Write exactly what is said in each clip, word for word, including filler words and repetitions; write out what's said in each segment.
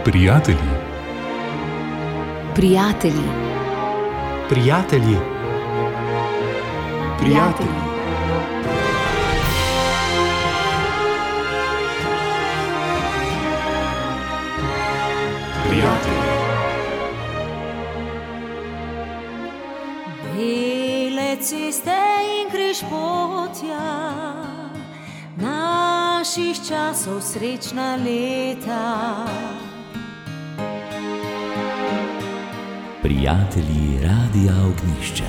Prijatelji. Prijatelji. Prijatelji. Prijatelji. Prijatelji. Bele ceste in križpotja, naših časov srečna leta. Prijatelji Radia Ognjišče.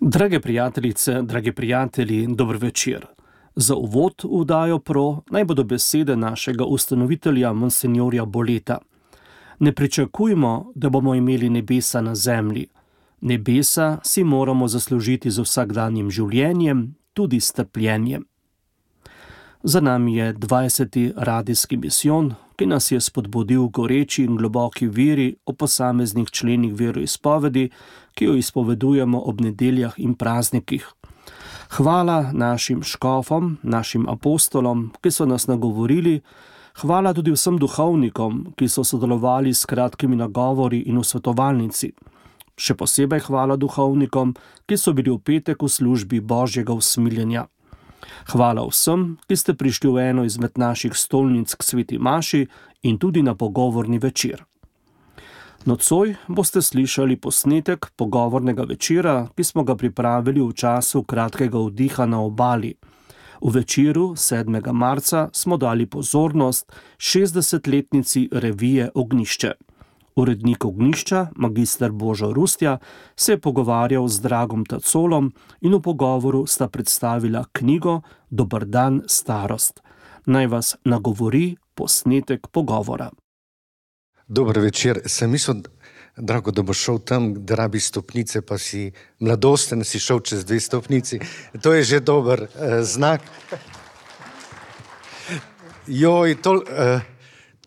Drage prijateljice, dragi prijatelji, dober večer. Za uvod v Oddajo Pro naj bodo besede našega ustanovitelja monsenjorja Boleta. Ne pričakujmo, da bomo imeli nebesa na zemlji. Nebesa si moramo zaslužiti z vsakdanjim življenjem, tudi s trpljenjem. Za nami je dvajseti radijski misijon, ki nas je spodbudil v goreči in globoki veri o posameznih členih veroizpovedi, ki jo izpovedujemo ob nedeljah in praznikih. Hvala našim škofom, našim apostolom, ki so nas nagovorili, hvala tudi vsem duhovnikom, ki so sodelovali s kratkimi nagovori in v svetovalnici. Še posebej hvala duhovnikom, ki so bili v petek v službi Božjega usmiljenja. Hvala vsem, ki ste prišli v eno izmed naših stolnic k sveti maši in tudi na pogovorni večer. Nocoj boste slišali posnetek pogovornega večera, ki smo ga pripravili v času kratkega oddiha na obali. V večeru sedmega marca smo dali pozornost šestdesetletnici revije Ognjišče. Urednik Ognjišča, magister Božo Rustja, se je pogovarjal z Dragom Tacolom in v pogovoru sta predstavila knjigo Dober dan, starost. Naj vas nagovori posnetek pogovora. Dober večer. Sem mislil, Drago, da bo šel tam, da rabi stopnice, pa si mladosten, si šel čez dve stopnici. To je že dober eh, znak. Joj, tol, eh,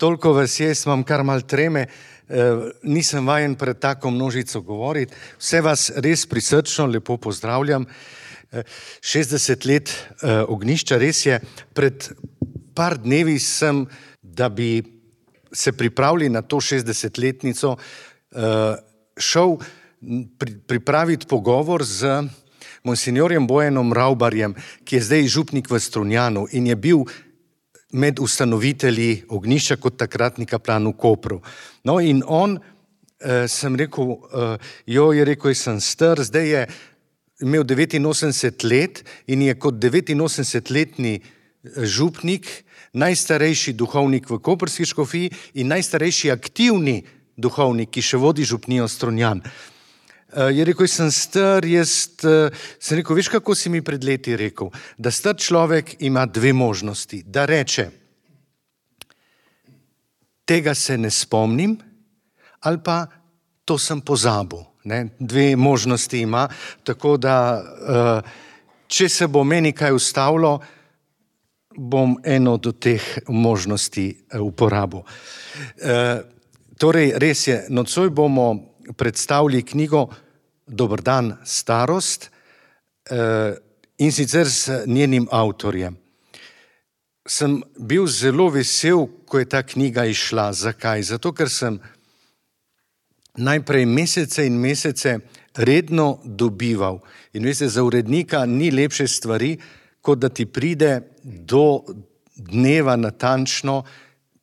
toliko vas je, imam kar mal treme. Uh, nisem vajen pred tako množico govoriti. Vse vas res prisrčno lepo pozdravljam. Uh, šestdeset let uh, Ognjišča, res je. Pred par dnevi sem, da bi se pripravili na to šestdesetletnico, uh, šel pri, pripraviti pogovor z monsenjorjem Bojanom Ravbarjem, ki je zdaj župnik v Strunjanu in je bil med ustanovitelji Ognjišča kot takratni kaplan v Kopru. No in on, eh, sem rekel, eh, jo je rekel, jaz sem star, zdaj je imel devetinosemdeset let in je kot devetinosemdesetletni župnik, najstarejši duhovnik v koprski škofiji in najstarejši aktivni duhovnik, ki še vodi župnijo Strunjan. Uh, je rekel, jaz sem star, jaz uh, sem rekel, veš, kako si mi pred leti rekel, da star človek ima dve možnosti, da reče, tega se ne spomnim, ali pa to sem pozabil. Ne? Dve možnosti ima, tako da, uh, če se bo meni kaj ustavilo, bom eno od teh možnosti uh, uporabil. Uh, torej, res je, nocoj bomo predstavili knjigo Dober dan, starost in sicer s njenim avtorjem. Sem bil zelo vesel, ko je ta knjiga išla. Zakaj? Zato, ker sem najprej mesece in mesece redno dobival. In veste, za urednika ni lepše stvari, kot da ti pride do dneva natančno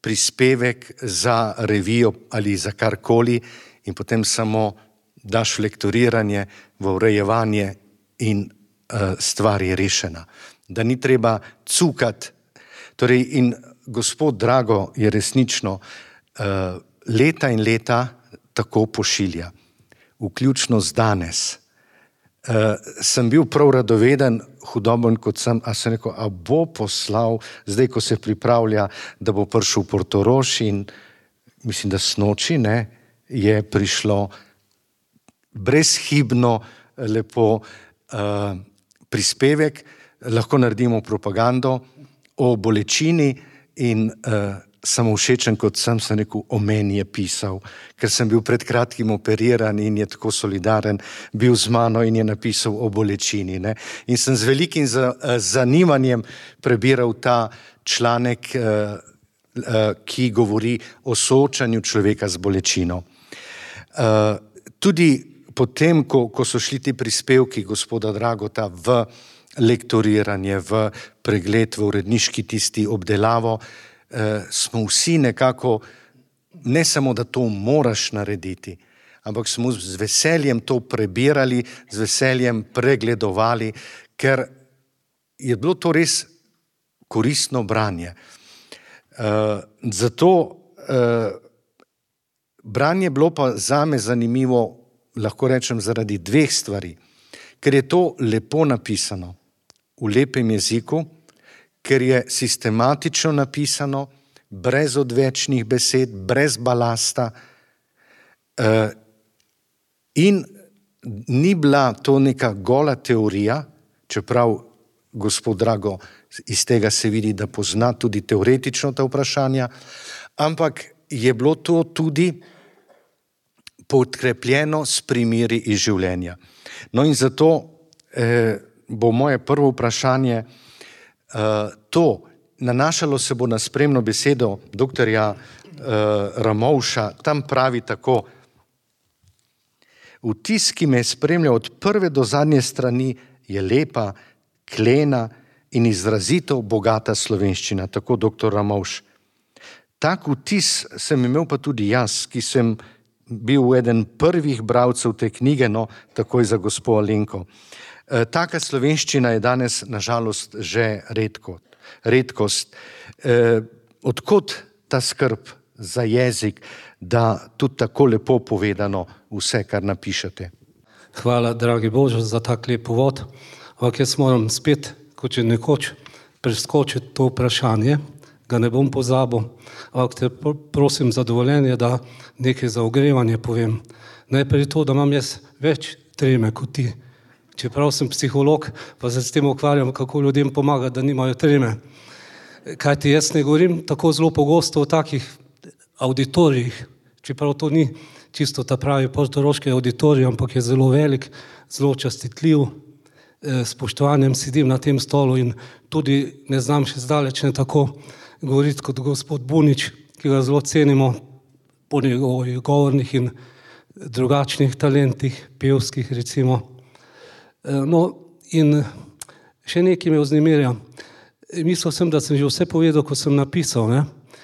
prispevek za revijo ali za karkoli, in potem samo daš lektoriranje v urejevanje in uh, stvar je rešena. Da ni treba cukati. Torej, in gospod Drago je resnično uh, leta in leta tako pošilja. Vključno z danes. Uh, sem bil prav radoveden, hudoben kot sem, a sem rekel, a bo poslal, zdaj ko se pripravlja, da bo prišel v Portorož in mislim, da snoči, ne, je prišlo brezhibno lepo uh, prispevek, lahko naredimo propagando o bolečini in uh, samo všečen, kot sem se rekel, o meni je pisal, ker sem bil pred kratkim operiran in je tako solidaren bil z mano in je napisal o bolečini. Ne? In sem z velikim zanimanjem prebiral ta članek, ki govori o soočanju človeka z bolečino. Tudi potem, ko, ko so šli ti prispevki gospoda Dragota v lektoriranje, v pregled, v uredniški tisti obdelavo, smo vsi nekako, ne samo, da to moraš narediti, ampak smo z veseljem to prebirali, z veseljem pregledovali, ker je bilo to res koristno branje. Zato branje je bilo pa zame zanimivo, lahko rečem, zaradi dveh stvari, ker je to lepo napisano, v lepem jeziku, ker je sistematično napisano, brez odvečnih besed, brez balasta in ni bila to neka gola teorija, čeprav gospod Drago iz tega se vidi, da pozna tudi teoretično ta vprašanja, ampak je bilo to tudi podkrepljeno s primeri iz življenja. No in zato eh, bo moje prvo vprašanje Uh, to, nanašalo se bo na spremno besedo doktorja uh, Ramovša, tam pravi tako: vtis, ki me spremlja od prve do zadnje strani, je lepa, klena in izrazito bogata slovenščina, tako doktor Ramovš. Tak vtis sem imel pa tudi jaz, ki sem bil eden prvih bralcev te knjige, no, takoj za gospo Alenko. Taka slovenščina je danes, nažalost, že redko, redkost. E, odkot ta skrb za jezik, da tudi tako lepo povedano vse, kar napišete? Hvala, dragi Bože, za tak lep uvod. Ampak jaz moram spet, kot že nekoč, preskočiti to vprašanje, ga ne bom pozabil, ampak te prosim za dovoljenje, da nekaj za ogrevanje povem. Najprej to, da imam jaz več treme kot ti. Čeprav sem psiholog, pa se s tem ukvarjam, kako ljudem pomagati, da nimajo treme. Kajti jaz ne govorim tako zelo pogosto o takih auditorijih, čeprav to ni čisto ta pravi portoroški auditorij, ampak je zelo velik, zelo častitljiv, s spoštovanjem sedim na tem stolu in tudi ne znam še zdaleč ne tako govoriti kot gospod Bunič, ki ga zelo cenimo po njegovih govornih in drugačnih talentih, pevskih recimo. No, in še nekaj me vznemirja. Mislil sem, da sem že vse povedal, ko sem napisal, ne?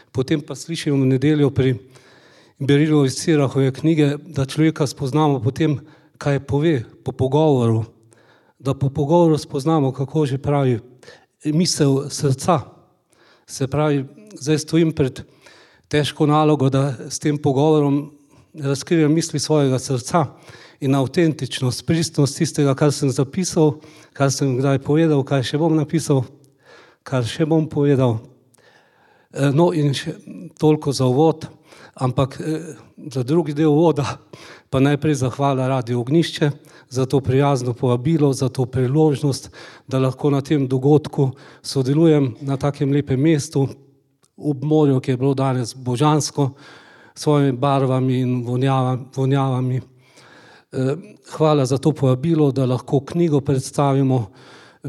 Potem pa slišim v nedeljo pri Berilovi Cirahove knjige, da človeka spoznamo potem, kaj pove po pogovoru, da po pogovoru spoznamo, kako že pravi misel srca. Se pravi, zdaj stojim pred težko nalogo, da s tem pogovorom razkrijem misli svojega srca in avtentičnost, pristnost tistega, kar sem zapisal, kar sem kdaj povedal, kaj še bom napisal, kar še bom povedal. No in še toliko za uvod, ampak za drugi del uvoda pa najprej zahvala Radiu Ognjišče za to prijazno povabilo, za to priložnost, da lahko na tem dogodku sodelujem na takem lepem mestu, ob morju, ki je bilo danes božansko, s svojimi barvami in vonjavami. Hvala za to povabilo, da lahko knjigo predstavimo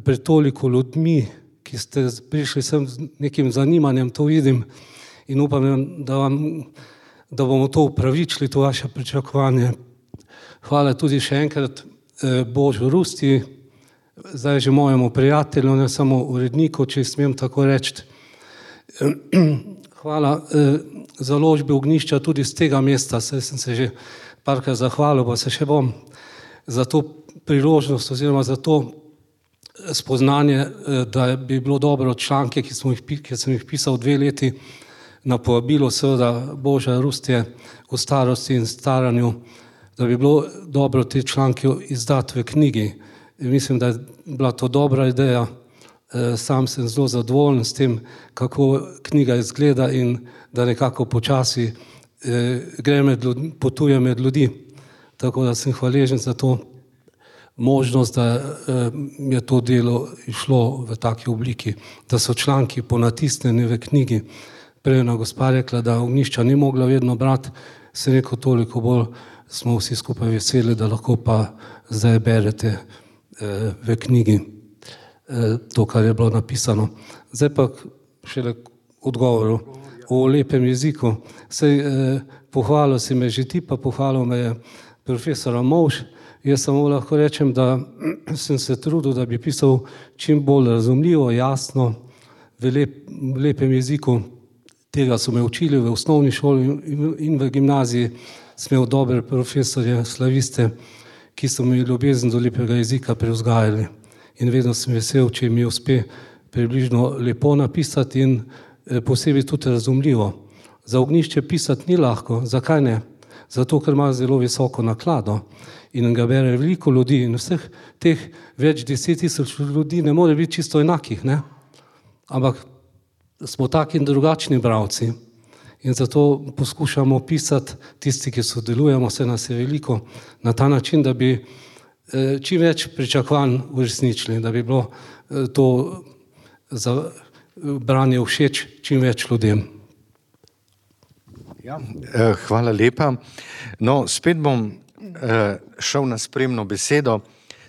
pred toliko ljudmi, ki ste prišli sem z nekim zanimanjem, to vidim in upam, da, vam, da bomo to upravičili, to vaše pričakovanje. Hvala tudi še enkrat Božu Rusti, zdaj že mojemu prijatelju, ne samo uredniku, če smem tako reči. Hvala založbi Ognjišča tudi z tega mesta, saj sem se že parkrat zahvalil, pa se še bom za to priložnost oziroma za to spoznanje, da bi bilo dobro članke, ki, smo jih, ki sem jih pisal dve leti na povabilo seveda Boža Rustje o starosti in staranju, da bi bilo dobro te članke izdati v knjigi. Mislim, da je bila to dobra ideja. Sam sem zelo zadovoljen s tem, kako knjiga izgleda in da nekako počasi gre med ljudmi, potuje med ljudi. Tako da sem hvaležen za to možnost, da je to delo išlo v taki obliki, da so članki ponatisnjeni v knjigi. prejna gospa rekla, da ognjišča ni mogla vedno brati, se rekel, toliko bolj smo vsi skupaj veseli, da lahko pa zdaj berete eh, v knjigi eh, to, kar je bilo napisano. Zdaj pa šele odgovoru o lepem jeziku. Sej, eh, pohvalil si me že ti, pa pohvalil me je profesor Ramovš. Jaz samo lahko rečem, da sem se trudil, da bi pisal čim bolj razumljivo, jasno, v, lep, v lepem jeziku. Tega so me učili v osnovni šoli in v gimnaziji. Sem imel dobre profesorje, slaviste, ki so mi ljubezen do lepega jezika prevzgajali. In vedno sem vesel, če mi uspe približno lepo napisati in posebej tudi razumljivo. Za ognjišče pisati ni lahko. Zakaj ne? Zato, ker ima zelo visoko naklado in ga bere veliko ljudi in vseh teh več deset tisoč ljudi ne more biti čisto enakih, ne? Ampak smo taki in drugačni bralci in zato poskušamo pisati tisti, ki sodelujemo, se nas je veliko, na ta način, da bi čim več pričakovanj uresničili, da bi bilo to za branje všeč čim več ljudem. Ja, hvala lepa. No, spet bom šel na spremno besedo.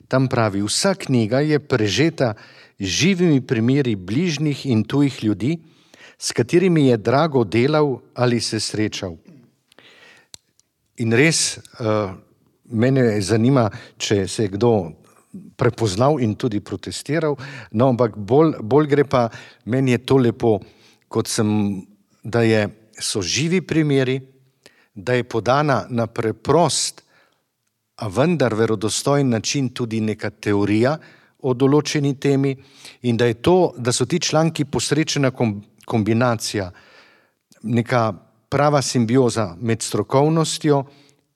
Tam pravi, vsa knjiga je prežeta živimi primeri bližnjih in tujih ljudi, s katerimi je Drago delal ali se srečal. In res, mene zanima, če se je kdo prepoznal in tudi protestiral, no, ampak bolj, bolj gre pa, meni je to lepo, kot sem, da je, so živi primeri, da je podana na preprost, a vendar verodostojen način tudi neka teorija o določeni temi in da je to, da so ti članki posrečena kombinacija, neka prava simbioza med strokovnostjo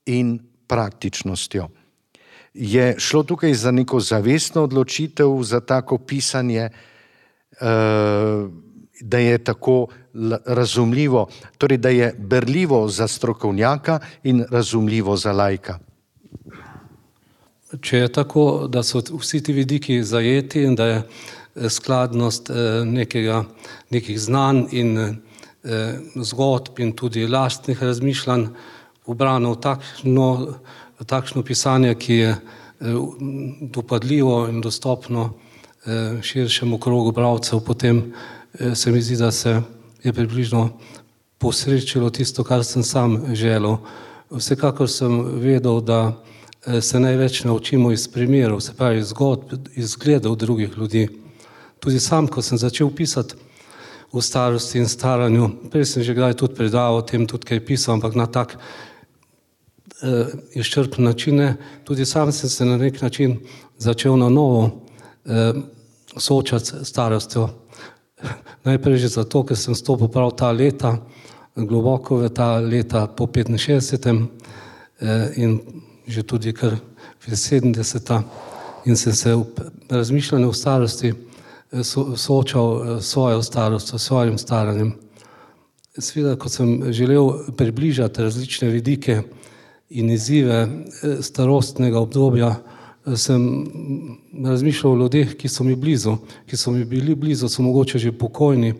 in praktičnostjo. Je šlo tukaj za neko zavestno odločitev, za tako pisanje, da je tako razumljivo, torej da je berljivo za strokovnjaka in razumljivo za laika. Če je tako, da so vsi ti vidiki zajeti in da je skladnost nekega, nekih znanj in zgodb in tudi lastnih razmišljanj ubrano v takšno, takšno pisanje, ki je dopadljivo in dostopno širšemu krogu bralcev, potem se mi zdi, da se je približno posrečilo tisto, kar sem sam želel. Vsekakor sem vedel, da se največ naučimo iz primerov, se pravi zgodb, iz zgledov drugih ljudi. Tudi sam, ko sem začel pisati o starosti in staranju, prej sem že kdaj tudi predaval o tem, tudi kaj pisal, ampak na tak eh, izčrpen način, tudi sam sem se na nek način začel na novo eh, soočati s starostjo. Najprej že zato, ker sem stopil prav ta leta, globoko v ta leta po petinšestdesetem eh, in že tudi kar v sedemdeseta in sem se v razmišljanju o starosti so, soočal s svojo starostjo, s svojim staranjem. Seveda, ko sem želel približati različne vidike in izzive starostnega obdobja, sem razmišljal o ljudeh, ki so mi blizu, ki so mi bili blizu, so mogoče že pokojni,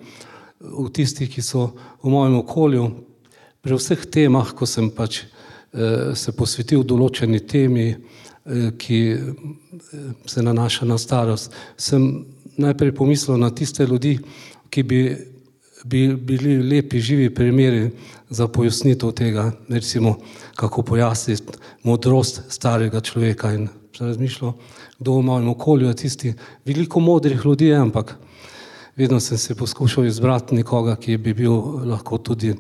v tistih, ki so v mojem okolju. Pri vseh temah, ko sem pač se posvetil določeni temi, ki se nanaša na starost, sem najprej pomislil na tiste ljudi, ki bi, bi bili lepi, živi primeri za pojasnitev tega, recimo, kako pojasniti modrost starega človeka in razmišljal, kdo v mojem okolju je tisti. Veliko modrih ljudi je, ampak vedno sem se poskušal izbrati nekoga, ki bi bil lahko tudi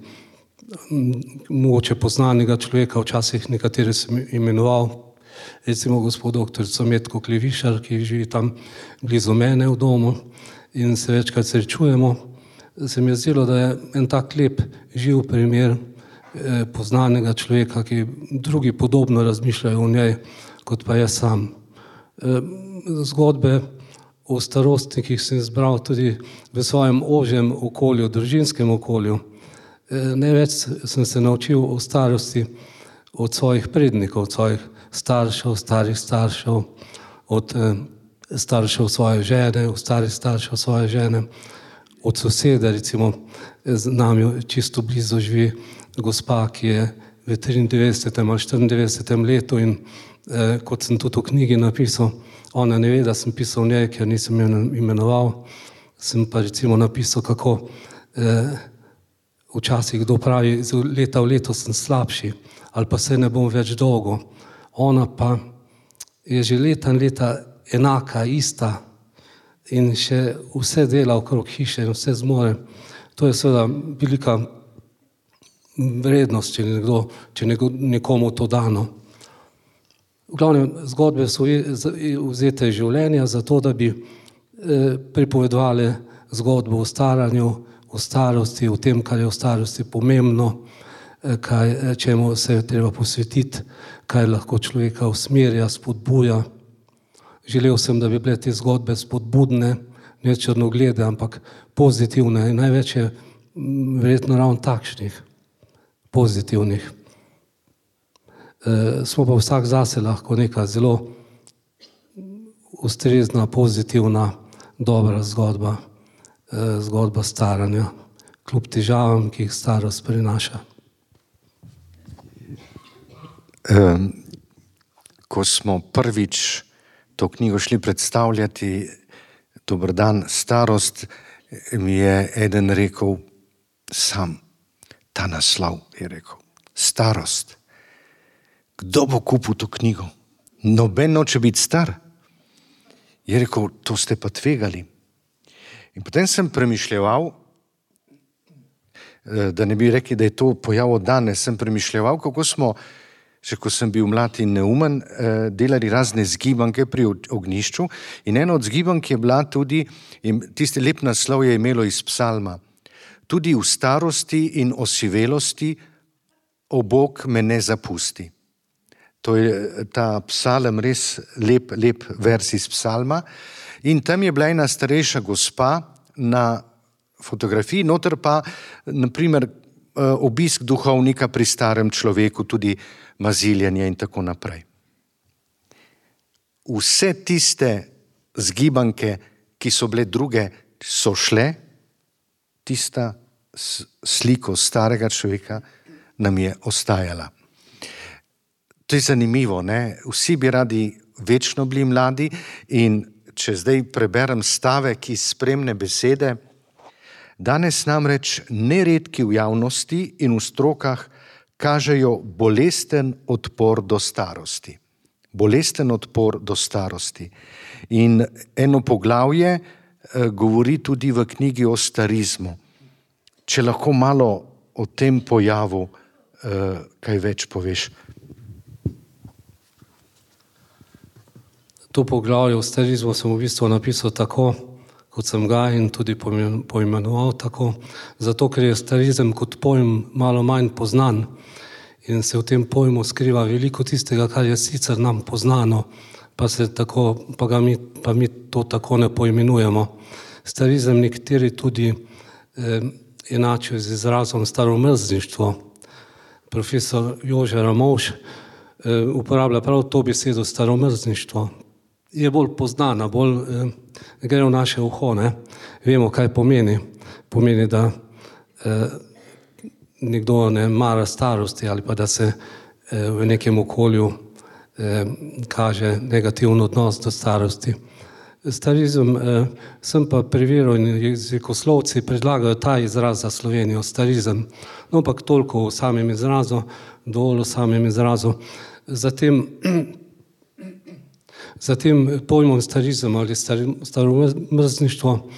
mogoče poznanega človeka, včasih nekatere sem imenoval, recimo gospod doktorico Metko Klevišar, ki živi tam blizu mene v domu in se večkrat srečujemo. Se mi je zdelo, da je en tak lep, živ primer eh, poznanega človeka, ki drugi podobno razmišljajo o njej, kot pa jaz sam. Eh, zgodbe o starosti, ki sem zbral tudi v svojem ožjem okolju, družinskem okolju. Največ sem se naučil o starosti od svojih prednikov, od svojih staršev, starih staršev, od staršev svoje žene, od starih staršev svoje žene, od sosede, recimo z nami čisto blizu živi gospa, ki je v triindevetdesetem ali štiriindevetdesetem letu in eh, kot sem tudi v knjigi napisal, ona ne ve, da sem pisal njej, ker nisem jo imenoval, sem pa recimo napisal, kako eh, včasih kdo pravi, iz leta v leto sem slabši ali pa se ne bom več dolgo. Ona pa je že leta in leta enaka, ista in še vse dela okrog hiše in vse zmore. To je seveda velika vrednost, če, nekdo, če nekomu to dano. V glavnem, zgodbe so vzete iz življenja zato, da bi eh, pripovedovali zgodbo o staranju, o starosti, o tem, kar je v starosti pomembno, eh, kaj, čemu se je treba posvetiti, kaj lahko človeka usmerja, spodbuja. Želel sem, da bi bile te zgodbe spodbudne, ne črnoglede, ampak pozitivne in največ je verjetno ravno takšnih, pozitivnih. E, smo pa vsak zase lahko neka zelo ustrezna, pozitivna, dobra zgodba, e, zgodba staranja, kljub težavam, ki jih starost prinaša. Um, ko smo prvič to knjigo šli predstavljati, Dober dan, starost, mi je eden rekel, sam, ta naslov je rekel, starost. Kdo bo kupil to knjigo? Noben noče biti star. Je rekel, to ste pa tvegali. In potem sem premišljeval, da ne bi rekli, da je to pojav od danes, sem premišljeval, kako smo, še ko sem bil mlad in neumen, delali razne zgibanke pri ognjišču in eno od zgibank je bila tudi, tisti lep naslov je imelo iz psalma, tudi v starosti in osivelosti o Bog me ne zapusti. To je ta psalm res lep, lep vers iz psalma in tam je bila ena starejša gospa na fotografiji, noter pa naprimer obisk duhovnika pri starem človeku, tudi maziljanje in tako naprej. Vse tiste zgibanke, ki so bile druge, so šle, tista sliko starega človeka nam je ostajala. To je zanimivo, ne? Vsi bi radi večno bili mladi in če zdaj preberem stavek iz spremne besede, danes namreč neredki v javnosti in v strokah kažejo bolesten odpor do starosti. Bolesten odpor do starosti. In eno poglavje eh, govori tudi v knjigi o starizmu. Če lahko malo o tem pojavu eh, kaj več poveš. To poglavje o starizmu sem v bistvu napisal tako, kot sem ga in tudi poimenoval tako, zato ker je starizem kot pojem malo manj poznan in se v tem pojmu skriva veliko tistega, kar je sicer nam poznano, pa, se tako, pa, ga mi, pa mi to tako ne poimenujemo. Starizem nekateri tudi eh, enačijo z izrazom staromrzništvo. Profesor Jože Ramovš eh, uporablja prav to besedo staromrzništvo. Je bolj poznana, bolj eh, gre v naše uho, ne? Vemo, kaj pomeni. Pomeni, da eh, nekdo ne mara starosti ali pa da se eh, v nekem okolju eh, kaže negativen odnos do starosti. Starizem eh, sem pa preveril in jezikoslovci predlagajo ta izraz za Slovenijo, starizem. No, ampak toliko v samem izrazu, dovolj v samem izrazu. Zatem Za tem pojmom starizem ali staromrzništvo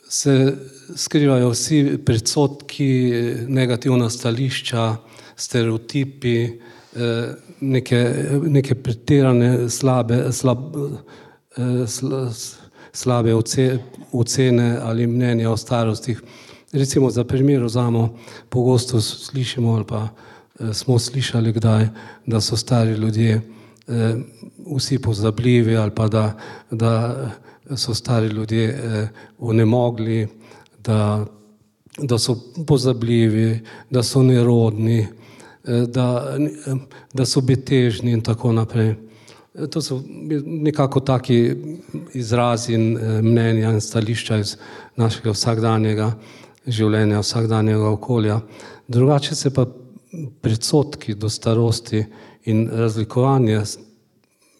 se skrivajo vsi predsodki, negativna stališča, stereotipi, neke, neke pretirane slabe, slab, slabe ocene ali mnenja o starostih. Recimo za primer vzamemo, pogosto slišimo ali pa smo slišali kdaj, da so stari ljudje vsi pozabljivi ali pa da, da so stari ljudje onemogli, da, da so pozabljivi, da so nerodni, da, da so betežni in tako naprej. To so nekako taki izrazi in mnenja in stališča iz našega vsakdanjega življenja, vsakdanjega okolja. Drugače se pa predsodki do starosti in razlikovanje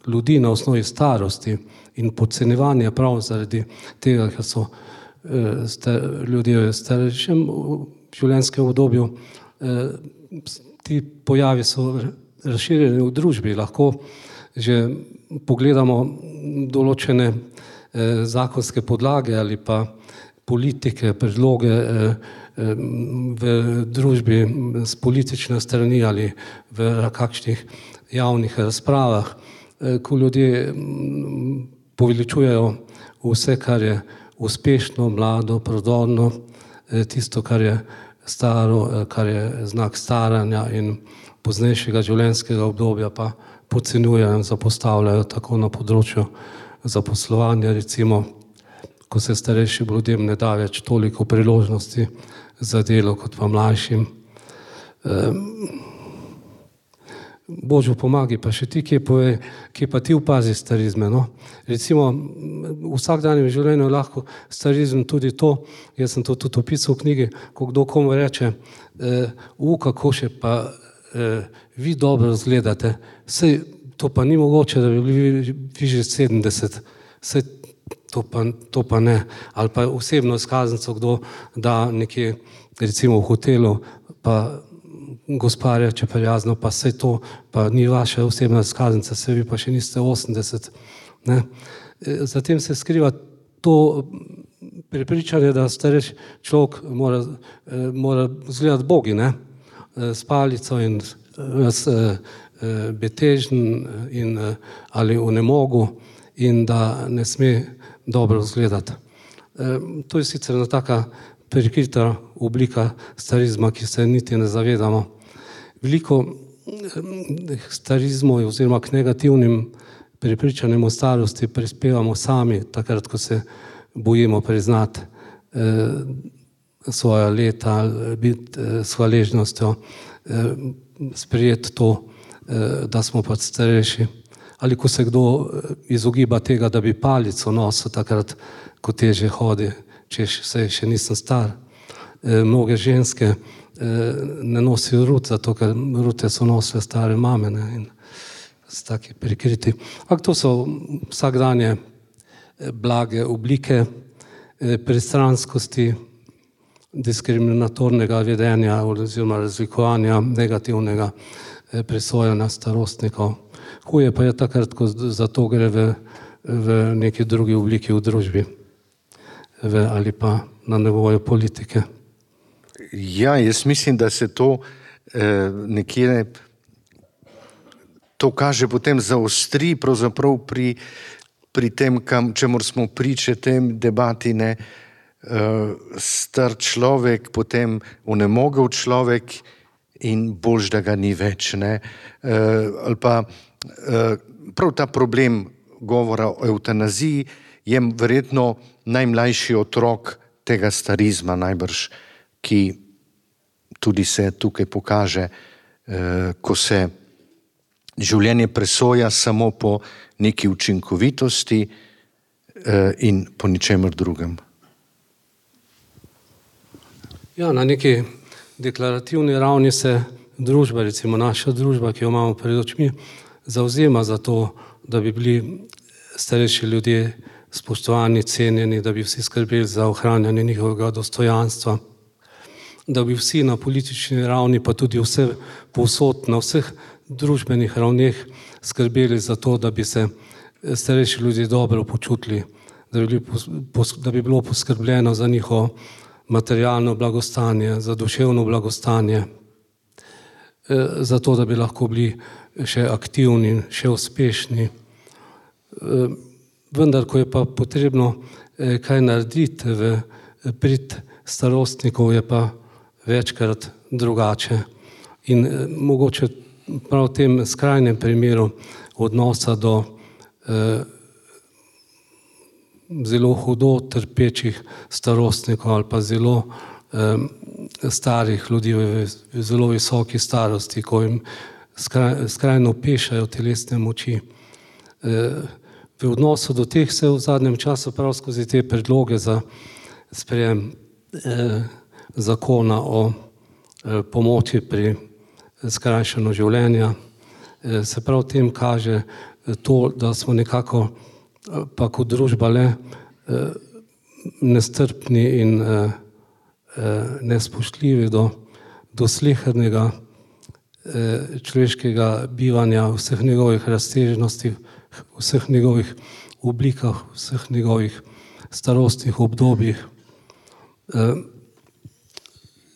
ljudi na osnovi starosti in podcenjevanje prav zaradi tega, ker so ljudje v starejšem življenjskem obdobju, ti pojavi so razširjeni v družbi. Lahko že pogledamo določene zakonske podlage ali pa politike, predloge v družbi z politične strani ali v kakšnih javnih razpravah, ko ljudje poveličujejo vse, kar je uspešno, mlado, prodorno, tisto, kar je staro, kar je znak staranja in poznejšega življenjskega obdobja, pa podcenjujejo in zapostavljajo tako na področju zaposlovanja, recimo, ko se starejšim ljudem ne da več toliko priložnosti za delo kot pa mlajšim. Božjo pomagi, pa še ti, kje povej, kje pa ti opazi starizme, no? Recimo, v vsakdanjem življenju lahko starizem tudi to, jaz sem to tudi opisal v knjigi, ko kdo komu reče, u, kako še pa vi dobro izgledate, sej to pa ni mogoče, da bi bili vi že sedemdeset, sej to pa, to pa ne. Ali pa osebno izkaznico, kdo da nekje, recimo v hotelu, pa gospa reče prijazno, pa sej to pa ni vaša osebna izkaznica, sej vi pa še niste osemdeset. Ne? Zatem se skriva to prepričanje, da starejši človek mora, mora izgledati bogi, ne? S palico in betežen in, ali v nemogu in da ne sme dobro izgledati. To je sicer ena taka prikrita oblika starizma, ki se niti ne zavedamo. Veliko starizmov oziroma k negativnim prepričanjem o starosti prispevamo sami, takrat, ko se bojimo priznati svoja leta, biti s hvaležnostjo, sprejeti to, da smo pač starejši. Ali ko se kdo izogiba tega, da bi palico nosil takrat, ko teže hodi, češ, saj še nisem star. Mnoge ženske ne nosijo rut, zato ker rute so nosile stare mame, ne, in so taki prikriti. Ampak to so vsakdanje blage oblike pristranskosti, diskriminatornega vedenja oziroma razlikovanja, negativnega presojanja starostnikov. Huje pa je takrat, ko za to gre v, v neki drugi obliki v družbi v, ali pa na nivoju politike. Ja, jaz mislim, da se to eh, nekje to kaže potem zaostri pravzaprav pri, pri tem, kam, čemur smo priče tem debati, ne, star človek, potem onemogel človek in boljš, da ga ni več, ne. Ali pa prav ta problem govora o evtanaziji je verjetno najmlajši otrok tega starizma najbrž, ki tudi se tukaj pokaže, ko se življenje presoja samo po neki učinkovitosti in po ničemer drugem. Ja, na neki deklarativni ravni se družba, recimo naša družba, ki jo imamo pred očmi, zavzema za to, da bi bili starejši ljudje spoštovani, cenjeni, da bi vsi skrbeli za ohranjanje njihovega dostojanstva, da bi vsi na politični ravni, pa tudi vse povsod, na vseh družbenih ravneh skrbeli za to, da bi se starejši ljudje dobro počutili, da bi, da bi bilo poskrbljeno za njihovo materialno blagostanje, za duševno blagostanje, za to, da bi lahko bili še aktivni, še uspešni. Vendar, ko je pa potrebno kaj narediti v prid starostnikov, je pa večkrat drugače. In mogoče prav v tem skrajnem primeru odnosa do zelo hudo trpečih starostnikov ali pa zelo eh, starih ljudi v, v zelo visoki starosti, ko jim skraj, skrajno pešajo telesne moči, V odnosu do teh se v zadnjem času prav skozi te predloge za sprejem zakona o pomoči pri skrajšanju življenja, se prav tem kaže to, da smo nekako pa kot družba le nestrpni in nespoštljivi do, do slehernega človeškega bivanja, vseh njegovih razsežnosti, vseh njegovih oblikah, vseh njegovih starostnih obdobjih.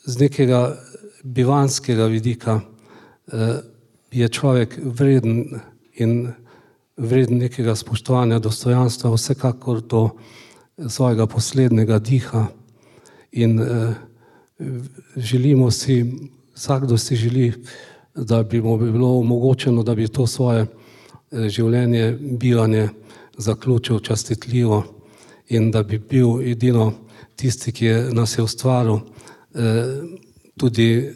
Z nekega bivanskega vidika je človek vreden in vreden nekega spoštovanja, dostojanstva, vsekakor do svojega poslednjega diha in želimo si, vsakdo si želi, da bi mu bilo omogočeno, da bi to svoje življenje, bivanje zaključil častitljivo in da bi bil edino tisti, ki je nas je ustvaril, tudi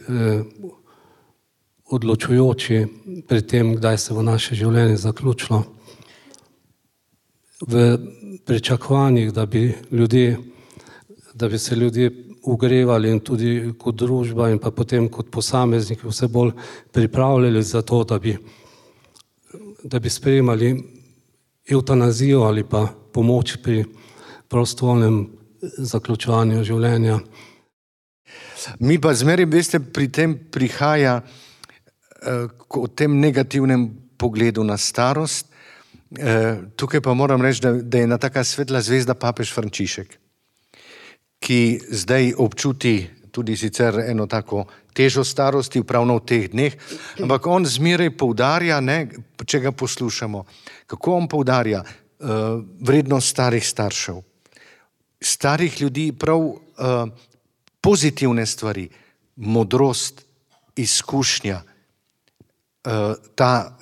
odločujoči pri tem, kdaj se bo naše življenje zaključilo. V pričakovanjih, da bi ljudje, da bi se ljudje ugrevali in tudi kot družba in pa potem kot posamezniki vse bolj pripravljali za to, da bi, da bi sprejemali evtanazijo ali pa pomoč pri prostovoljnem zaključovanju življenja. Mi pa zmeraj, veste, pri tem prihaja o tem negativnem pogledu na starost. Tukaj pa moram reči, da, da je ena taka svetla zvezda papež Frančišek, ki zdaj občuti tudi sicer eno tako težo starosti, pravno v teh dneh, ampak on zmeraj poudarja, ne, če ga poslušamo, kako on poudarja uh, vrednost starih staršev, starih ljudi, prav uh, pozitivne stvari, modrost, izkušnja, uh, ta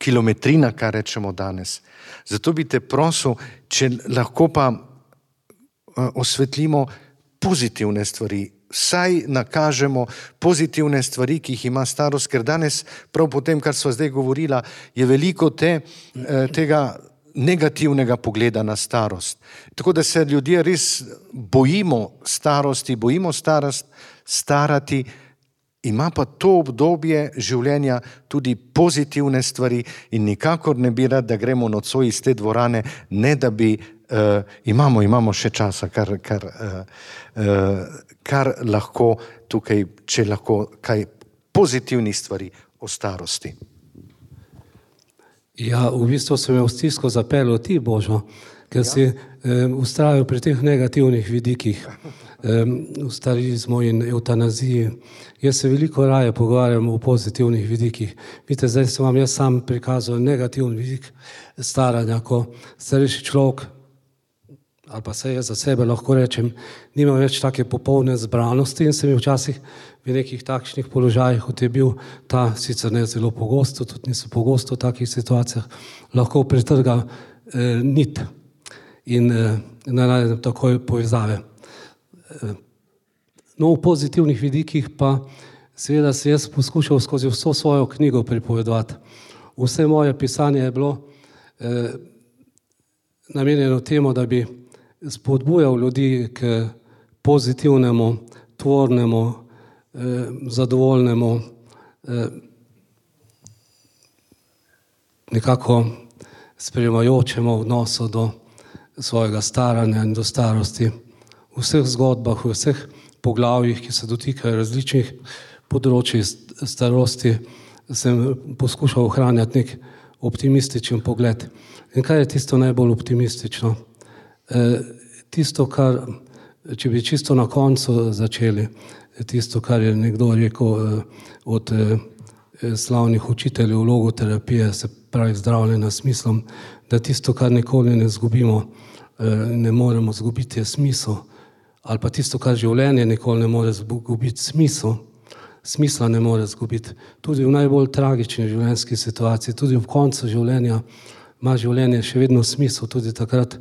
kilometrina, kar rečemo danes. Zato bi te prosil, če lahko pa osvetlimo pozitivne stvari, saj nakažemo pozitivne stvari, ki jih ima starost, ker danes, prav po tem, kar sva zdaj govorila, je veliko te, tega negativnega pogleda na starost. Tako da se ljudje res bojimo starosti, bojimo starost, starati, ima pa to obdobje življenja tudi pozitivne stvari in nikakor ne bi rad, da gremo nocoj iz te dvorane, ne da bi, uh, imamo, imamo še časa, kar, kar, uh, uh, kar lahko tukaj, če lahko kaj pozitivnih stvari o starosti. Ja, v bistvu sem jo v stisko zapeljal ti, Božo, ker si um, ustrajal pri teh negativnih vidikih, um, v starizmu in evtanaziji. Jaz se veliko raje pogovarjam o pozitivnih vidikih. Vidite, zdaj sem vam jaz sam prikazal negativni vidik staranja, ko starejši človek, ali pa se jaz za sebe lahko rečem, nima več take popolne zbranosti in se mi včasih v nekih takšnih položajih, kot je bil ta, sicer ne zelo pogosto, tudi niso pogosto v takih situacijah, lahko pretrga eh, nit in eh, ne najdem takoj povezave. Eh, No, v pozitivnih vidikih pa seveda se jaz poskušal skozi vso svojo knjigo pripovedovati. Vse moje pisanje je bilo eh, namenjeno temu, da bi spodbujal ljudi k pozitivnemu, tvornemu, eh, zadovoljnemu, eh, nekako sprejemajočemu odnosu do svojega staranja in do starosti. V vseh zgodbah, v vseh poglavjih, ki se dotikajo različnih področij starosti, sem poskušal ohranjati nek optimističen pogled. In kaj je tisto najbolj optimistično? E, tisto, kar, če bi čisto na koncu začeli, tisto, kar je nekdo rekel od slavnih učiteljev logoterapije, se pravi zdravljenja s smislom, da tisto, kar nikoli ne zgubimo, ne moremo zgubiti, je smisel. Ali pa tisto, kar življenje nikoli ne more zgubiti, smisel, smisla ne more zgubiti. Tudi v najbolj tragični življenjski situaciji, tudi v koncu življenja ima življenje še vedno smisel, tudi takrat,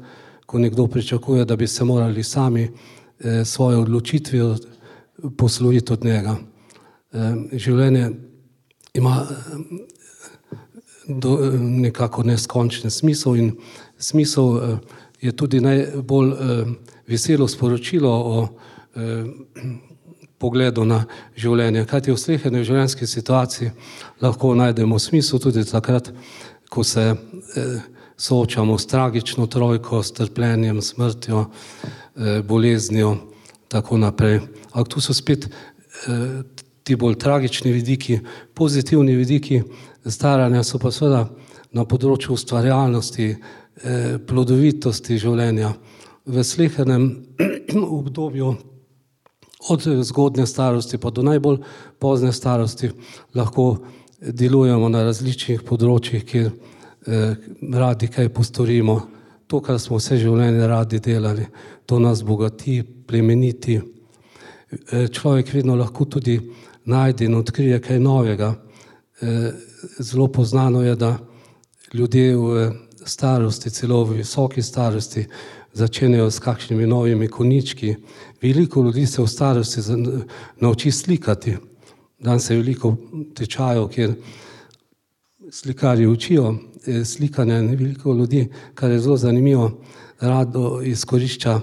ko nekdo pričakuje, da bi se morali sami eh, svoje odločitve posloviti od njega. Eh, življenje ima do, nekako neskončen smisel in smisel je tudi najbolj veselo sporočilo o pogledu na življenje. Kajti v sleherni življenjski situaciji lahko najdemo smisel tudi takrat, ko se soočamo s tragično trojko, s trpljenjem, smrtjo, boleznijo, tako naprej. Ampak tu so spet ti bolj tragični vidiki, pozitivni vidiki staranja so pa seveda na področju ustvarjalnosti, plodovitosti življenja. V slehernem obdobju od zgodnje starosti pa do najbolj pozne starosti lahko delujemo na različnih področjih, kjer radi kaj postorimo. To, kar smo vse življenje radi delali, to nas bogati, plemeniti. Človek vedno lahko tudi najde in odkrije kaj novega. Zelo poznano je, da ljudje v starosti, celo v visoki starosti, začenjajo s kakšnimi novimi konički. Veliko ljudi se v starosti nauči slikati. Danes je veliko tečajev, kjer slikarji učijo slikanja in veliko ljudi, kar je zelo zanimivo, rado izkorišča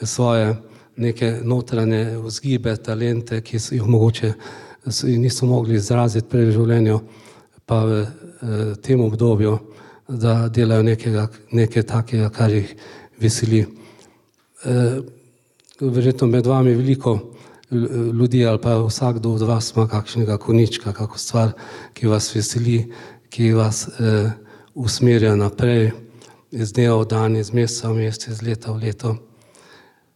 svoje neke notranje vzgibe, talente, ki so jih mogoče niso mogli izraziti prej v življenju, pa v tem obdobju, da delajo nekega, nekaj takega, kar jih veseli. Verjetno med vami veliko ljudi ali pa vsakdo od vas ima kakšnega konička, kako stvar, ki vas veseli, ki vas eh, usmerja naprej iz dneva v dan, iz meseca v mesec, iz leta v leto.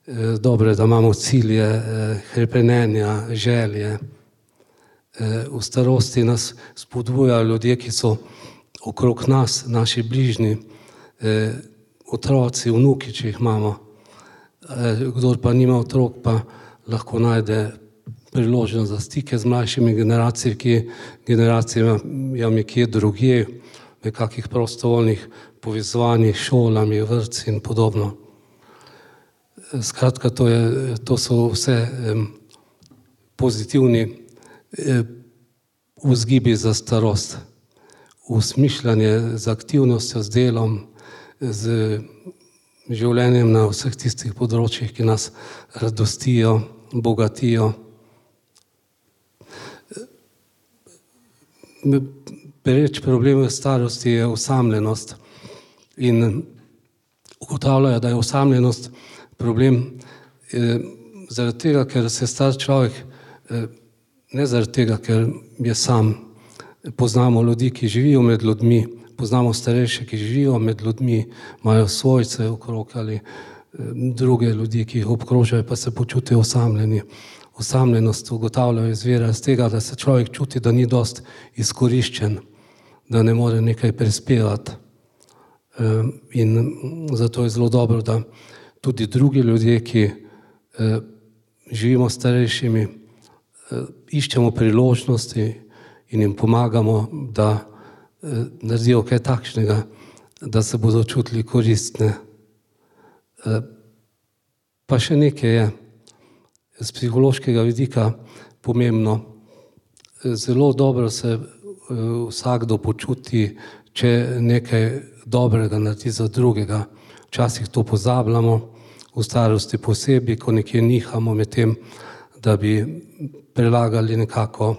Eh, dobro je, da imamo cilje, eh, hrepenenja, želje. Eh, v starosti nas spodbujajo ljudje, ki so okrog nas, naši bližnji, eh, otroci, vnuki, če jih imamo. Eh, kdor pa nima otrok, pa lahko najde priložnost za stike z mlajšimi generacijami, ki generacijami kje drugje, v kakih prostovoljnih povezovanjih, šolami, vrtci in podobno. Skratka, to, je, to so vse eh, pozitivni eh, vzgibi za starost. Usmišljanje z aktivnostjo, z delom, z življenjem na vseh tistih področjih, ki nas radostijo, bogatijo. Pereč problem v starosti je osamljenost in ugotavljajo, da je osamljenost problem eh, zaradi tega, ker se star človek, eh, ne zaradi tega, ker je sam. Poznamo ljudi, ki živijo med ljudmi, poznamo starejše, ki živijo med ljudmi, imajo svojce okrog ali eh, druge ljudi, ki jih obkrožajo, pa se počutijo osamljeni. Osamljenost ugotavljajo izvira iz tega, da se človek čuti, da ni dost izkoriščen, da ne more nekaj prispevati. In zato je zelo dobro, da tudi drugi ljudje, ki živimo starejšimi, iščemo priložnosti in jim pomagamo, da naredijo kaj takšnega, da se bodo čutili koristne. Pa še nekaj je z psihološkega vidika pomembno. Zelo dobro se vsakdo počuti, če nekaj dobrega naredi za drugega. Včasih to pozabljamo, v starosti posebej, ko nekje nihamo med tem, da bi prelagali nekako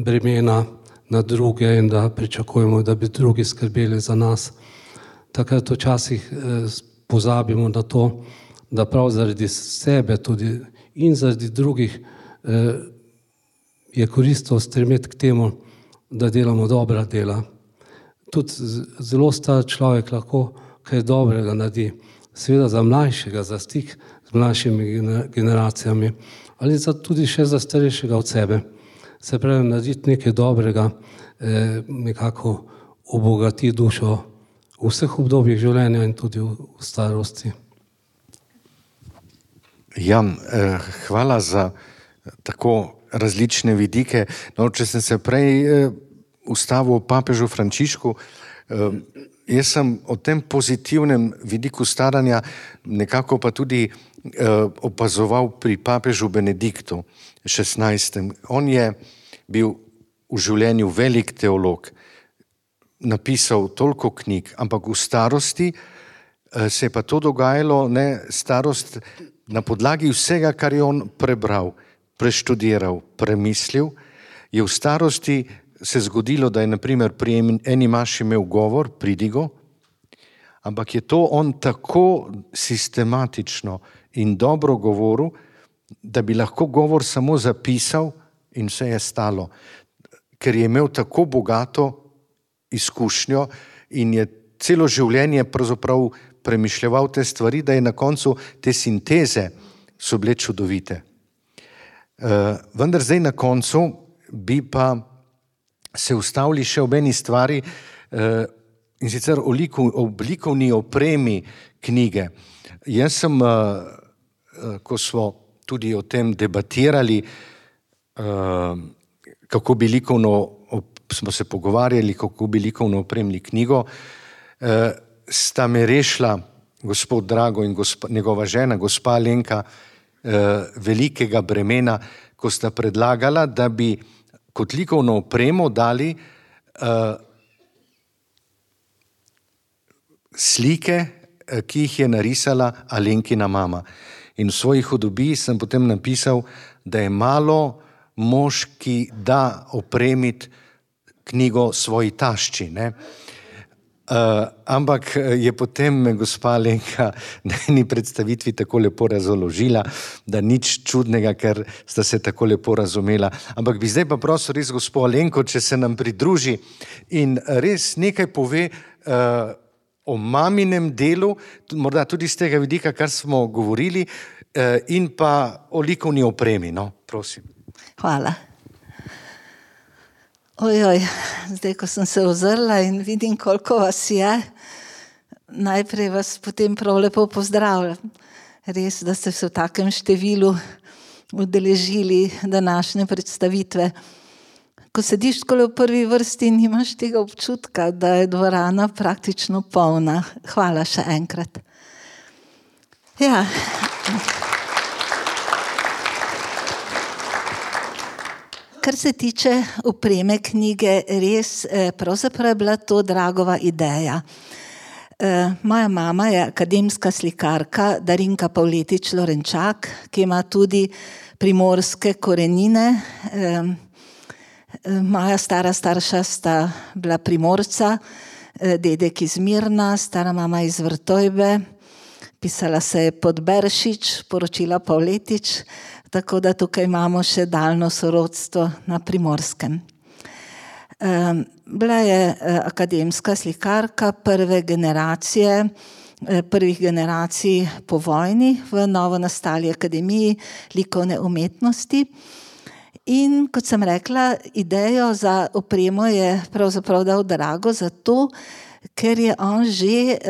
bremena na druge in da pričakujemo, da bi drugi skrbeli za nas. Takrat včasih pozabimo na to, da prav zaradi sebe tudi in zaradi drugih eh, je koristno stremeti k temu, da delamo dobra dela. Tudi zelo star človek lahko kaj dobrega naredi, seveda za mlajšega, za stik z mlajšimi generacijami, ali za, tudi še za starejšega od sebe. Se pravi, narediti nekaj dobrega, eh, nekako obogati dušo v vseh obdobjih življenja in tudi v, v starosti. Ja, eh, hvala za tako različne vidike. No, če sem se prej eh, ustavil o papežu Frančišku, eh, jaz sem o tem pozitivnem vidiku staranja nekako pa tudi eh, opazoval pri papežu Benediktu šestnajstem. On je bil v življenju velik teolog, napisal toliko knjig, ampak v starosti se je pa to dogajalo, ne, starost na podlagi vsega, kar je on prebral, preštudiral, premislil, je v starosti se zgodilo, da je naprimer pri eni maši imel govor, pridigo, ampak je to on tako sistematično in dobro govoril, da bi lahko govor samo zapisal in vse je stalo, ker je imel tako bogato izkušnjo in je celo življenje pravzaprav premišljeval te stvari, da je na koncu te sinteze so bile čudovite. Uh, vendar zdaj na koncu bi pa se ustavili še ob eni stvari, uh, in sicer o oblikovni opremi knjige. Jaz sem, uh, uh, ko smo tudi o tem debatirali, uh, kako bi likovno, smo se pogovarjali, kako bi likovno opremili knjigo, uh, sta me rešila gospod Drago in gospa, njegova žena, gospa Alenka, uh, velikega bremena, ko sta predlagala, da bi kot likovno opremo dali uh, slike, ki jih je narisala Alenkina mama. In v svoji hudobiji sem potem napisal, da je malo mož, ki da opremiti knjigo svoji tašči, ne. Uh, ampak je potem me gospa Alenka na eni predstavitvi tako lepo razložila, da nič čudnega, ker sta se tako lepo razumela. Ampak bi zdaj pa prosil res gospo Alenko, če se nam pridruži in res nekaj pove uh, o maminem delu, morda tudi z tega vidika, kar smo govorili, uh, in pa o likovni opremi, no, prosim. Hvala. Ojoj, zdaj, ko sem se ozrla in vidim, koliko vas je, najprej vas potem prav lepo pozdravljam. Res, da ste se v takem številu udeležili današnje predstavitve. Ko sediš takole v prvi vrsti, nimaš tega občutka, da je dvorana praktično polna. Hvala še enkrat. Ja. Kar se tiče opreme knjige, res pravzaprav je bila to Dragova ideja. Moja mama je akademska slikarka Darinka Pavletič Lorenčak, ki ima tudi primorske korenine. Moja stara starša sta bila Primorca, dedek iz Mirna, stara mama iz Vrtojbe, pisala se je Podberšič, poročila Pavletič, tako da tukaj imamo še daljno sorodstvo na Primorskem. Bila je akademska slikarka prve generacije, prvih generacij po vojni v novo nastali akademiji likovne umetnosti. In kot sem rekla, idejo za opremo je pravzaprav dal Drago zato, ker je on že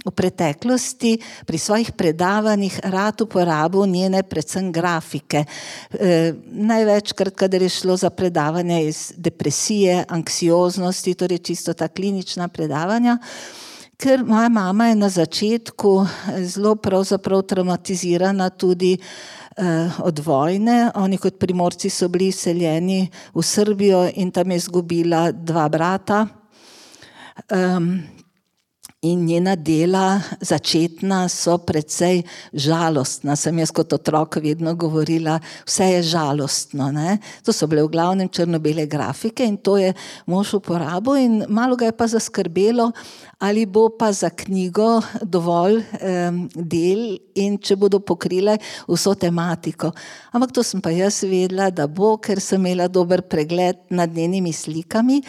v preteklosti pri svojih predavanjih rad uporabil njene predvsem grafike. E, največkrat, kadar je šlo za predavanje iz depresije, anksioznosti, torej čisto ta klinična predavanja, ker moja mama je na začetku zelo pravzaprav traumatizirana tudi e, od vojne. Oni kot Primorci so bili izseljeni v Srbijo in tam je izgubila dva brata. Um, In njena dela začetna so precej žalostna. Sem jaz kot otrok vedno govorila, vse je žalostno. Ne? To so bile v glavnem črno-bele grafike in to je mož uporabil in malo ga je pa zaskrbelo, ali bo pa za knjigo dovolj um, del in če bodo pokrile vso tematiko. Ampak to sem pa jaz vedela, da bo, ker sem imela dober pregled nad njenimi slikami.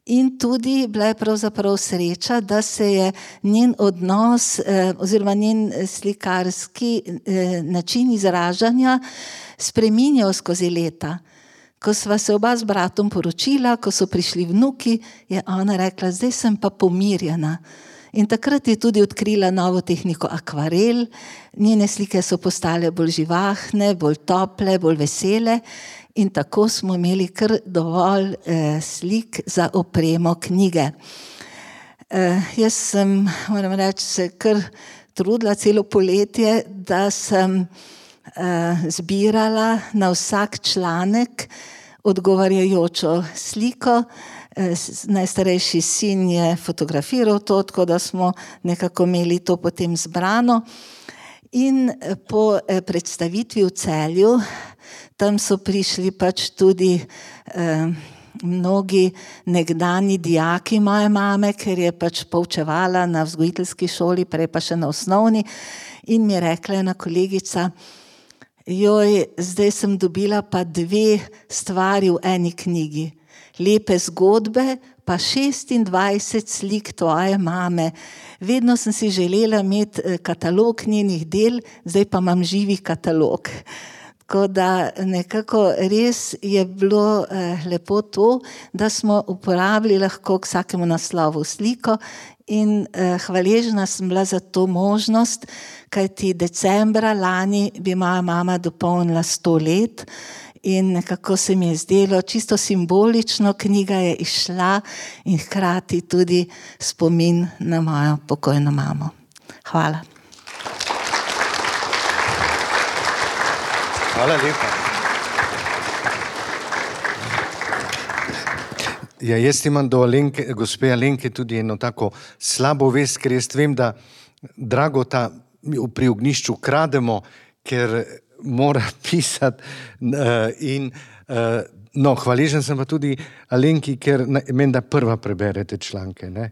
In tudi bila je pravzaprav sreča, da se je njen odnos eh, oziroma njen slikarski eh, način izražanja spreminjal skozi leta. Ko sva se oba z bratom poročila, ko so prišli vnuki, je ona rekla, zdaj sem pa pomirjena. In takrat je tudi odkrila novo tehniko akvarel, njene slike so postale bolj živahne, bolj tople, bolj vesele. In tako smo imeli kar dovolj eh, slik za opremo knjige. Eh, jaz sem, moram reči, se kar trudila celo poletje, da sem eh, zbirala na vsak članek odgovarjajočo sliko najstarejši sin je fotografiral to, tako da smo nekako imeli to potem zbrano. In po predstavitvi v Celju, tam so prišli pač tudi eh, mnogi nekdani dijaki moje mame, ker je pač poučevala na vzgojiteljski šoli, prej pa še na osnovni, in mi je rekla ena kolegica: joj, zdaj sem dobila pa dve stvari v eni knjigi. Lepe zgodbe, pa šestindvajset slik tvoje mame. Vedno sem si želela imeti katalog njenih del, zdaj pa imam živi katalog. Tako da nekako res je bilo eh, lepo to, da smo uporabili lahko k vsakemu naslovu sliko in eh, hvaležna sem bila za to možnost, kajti decembra lani bi moja mama dopolnila sto let in nekako se mi je zdelo čisto simbolično, knjiga je izšla in hkrati tudi spomin na mojo pokojno mamo. Hvala. Hvala lepa. Ja, jaz imam do Alenke, gospe Alenke tudi eno tako slabo vest, ker jaz vem, da Dragota pri Ognjišču krademo, ker mora pisati in no, hvaležen sem pa tudi Alenki, ker menda prva preberete članke, ne?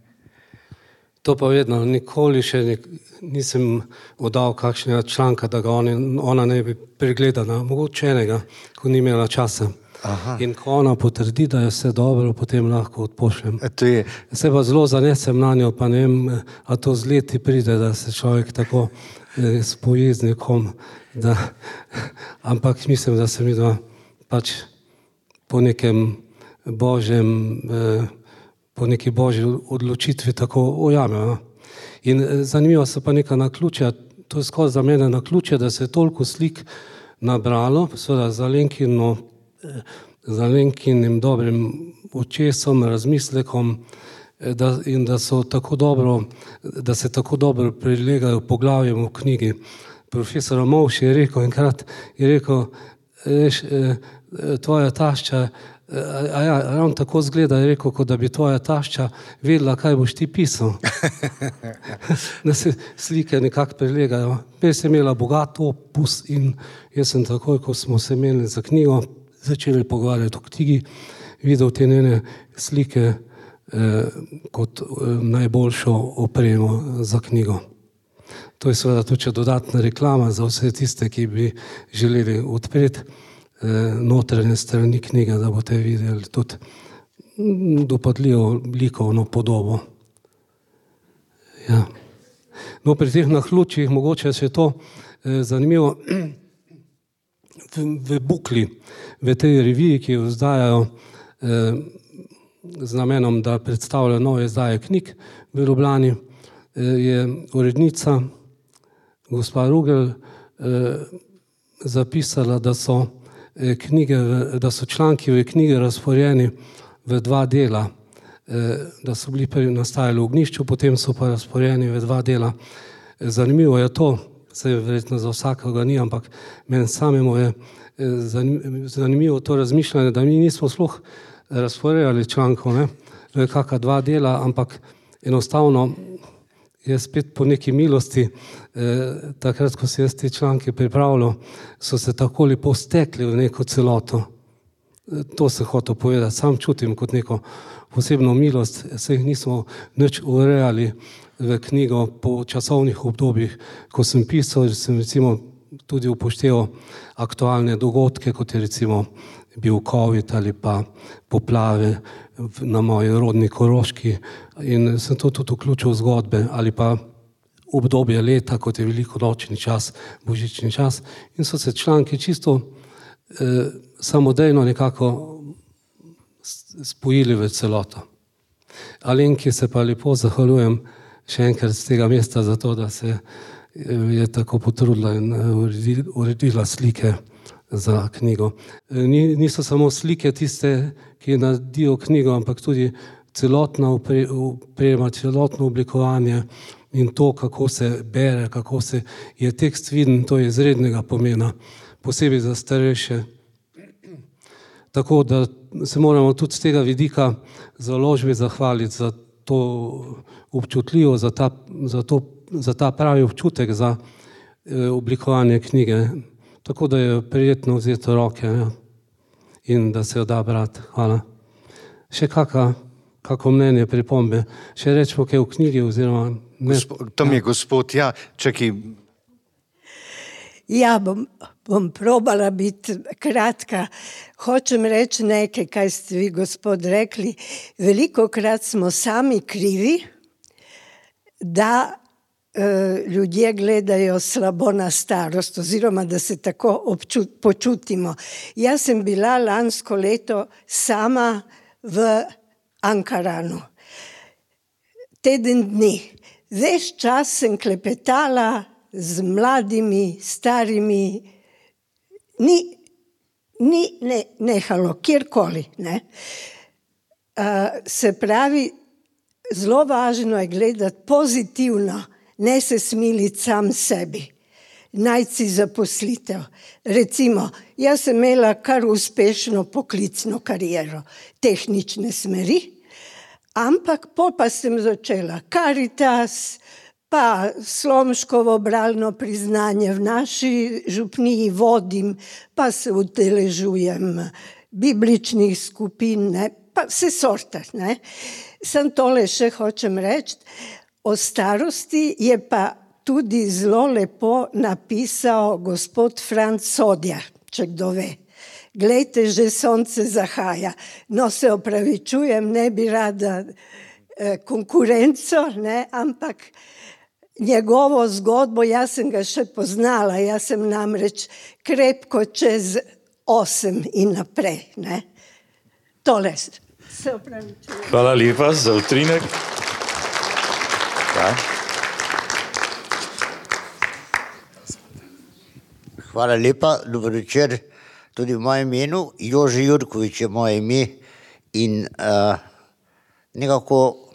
To pa vedno, nikoli še nisem oddal kakšnega članka, da ga ona ne bi pregledala, mogoče enega, ko ni imela časa. Aha. In ko ona potrdi, da je vse dobro, potem lahko odpošljem. Je... Se pa zelo zanesem na njo, pa ne vem, a to z leti pride, da se človek tako eh, spoji z nekom, da, ampak mislim, da se mi da pač po nekem božjem eh, po neki božji odločitvi tako ujame. In zanimivo so pa neka naključja, to je skoraj za mene naključje, da se je toliko slik nabralo, seveda z Alenkino, z Alenkinim dobrim očesom, razmislekom, da, in da so tako dobro, da se tako dobro prilegajo poglavjem v knjigi. Profesor Movš je rekel enkrat, je rekel, veš, tvoja tašča, a ja, ravno tako zgleda, je rekel, kot da bi tvoja tašča vedela, kaj boš ti pisal. Da se slike nekako prilegajo. Jaz sem imela bogat opus in jaz sem takoj, ko smo se imeli za knjigo, začeli pogovarjati o knjigi, videl te njene slike eh, kot eh, najboljšo opremo za knjigo. To je seveda tudi dodatna reklama za vse tiste, ki bi želeli odpreti notranje strani knjige, da boste videli tudi dopadljivo likovno podobo. Ja. No, pri teh naključjih mogoče še to eh, zanimivo. V, v Bukli, v tej reviji, ki jo izdajajo eh, z namenom, da predstavlja nove izdaje knjig v Ljubljani, eh, je urednica gospa Rugel eh, zapisala, da so knjige, da so članki v knjigi razporjeni v dva dela, da so bili prvi nastajali v Ognjišču, potem so pa razporjeni v dva dela. Zanimivo je to, se verjetno za vsakega ni, ampak meni samemu je zanimivo to razmišljanje, da mi nismo sploh razporejali člankov, ne, v kakšna dva dela, ampak enostavno je spet po neki milosti, eh, takrat, ko se jaz te članke pripravljal, so se tako lepo stekli v neko celoto. E, to se hotel povedati, sam čutim kot neko posebno milost, se jih nismo nič urejali v knjigo po časovnih obdobjih. Ko sem pisal, sem recimo tudi upošteval aktualne dogodke, kot je recimo bil COVID ali pa poplave na moji rodni Koroški, in sem to tudi vključil v zgodbe, ali pa obdobje leta, kot je velikonočni čas, božični čas, in so se članki čisto eh, samodejno nekako spojili v celoto. Alenki se pa lepo zahvaljujem še enkrat z tega mesta za to, da se je tako potrudila in uredila slike za knjigo. Niso samo slike tiste, ki naredijo knjigo, ampak tudi celotna oprema, celotno oblikovanje in to, kako se bere, kako se je tekst viden, to je izrednega pomena, posebej za starejše. Tako da se moramo tudi z tega vidika založbi zahvaliti za to občutljivo, za ta, za to, za ta pravi občutek za oblikovanje knjige. Tako da je prijetno vzeti v roke, ja, in da se jo da brati. Hvala. Še kaka, kako mnenje, pripombe? Še rečemo kaj v knjigi oziroma... Ne? Gospod, tam je gospod, ja, čakaj. Ja, bom, bom probala biti kratka. Hočem reči nekaj, kaj ste vi, gospod, rekli. Velikokrat smo sami krivi, da e, ljudje gledajo slabo na starost, oziroma da se tako občut, počutimo. Jaz sem bila lansko leto sama v Ankaranu. Teden dni. Ves čas sem klepetala z mladimi, starimi, ni, ni ne, nehalo, kjerkoli. Ne? Uh, se pravi, zelo važno je gledati pozitivno, ne se smiliti sam sebi, najti si zaposlitev. Recimo, jaz sem imela kar uspešno poklicno kariero, tehnične smeri, ampak pol pa sem začela Karitas, pa Slomškovo bralno priznanje v naši župniji vodim, pa se udeležujem bibličnih skupin, ne, pa vse sorte. Ne. Sem tole še hočem reči, o starosti je pa tudi zelo lepo napisal gospod Franc Sodja, če kdo ve. Glejte, že sonce zahaja. No, se opravičujem, ne bi rada eh, konkurenco, ne, ampak njegovo zgodbo, jaz sem ga še poznala, jaz sem namreč krepko čez osem in naprej. Ne. Tole se opravičujem. Hvala lepa za utrinek. Ja. Hvala lepa, dober večer tudi v mojem imenu. Jože Jurkovič je moje ime in uh, nekako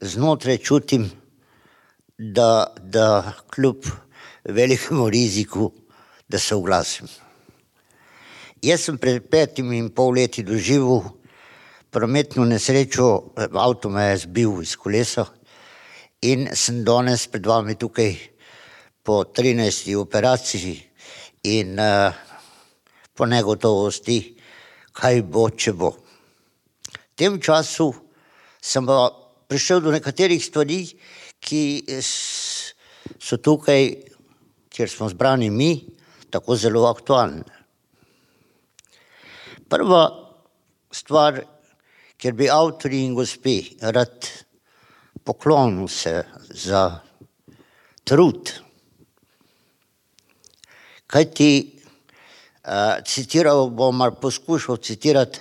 znotraj čutim, da, da kljub velikemu riziku, da se oglasim. Jaz sem pred petimi in pol leti doživel prometno nesrečo, avto me je zbil iz kolesa in sem danes pred vami tukaj po trinajsti operaciji in uh, po negotovosti, kaj bo, če bo. V tem času sem pa prišel do nekaterih stvari, ki so tukaj, kjer smo zbrani mi, tako zelo aktualne. Prva stvar, kjer bi avtori in gospe rad poklonil se za trud, kajti uh, citiral bom, ali poskušal citirati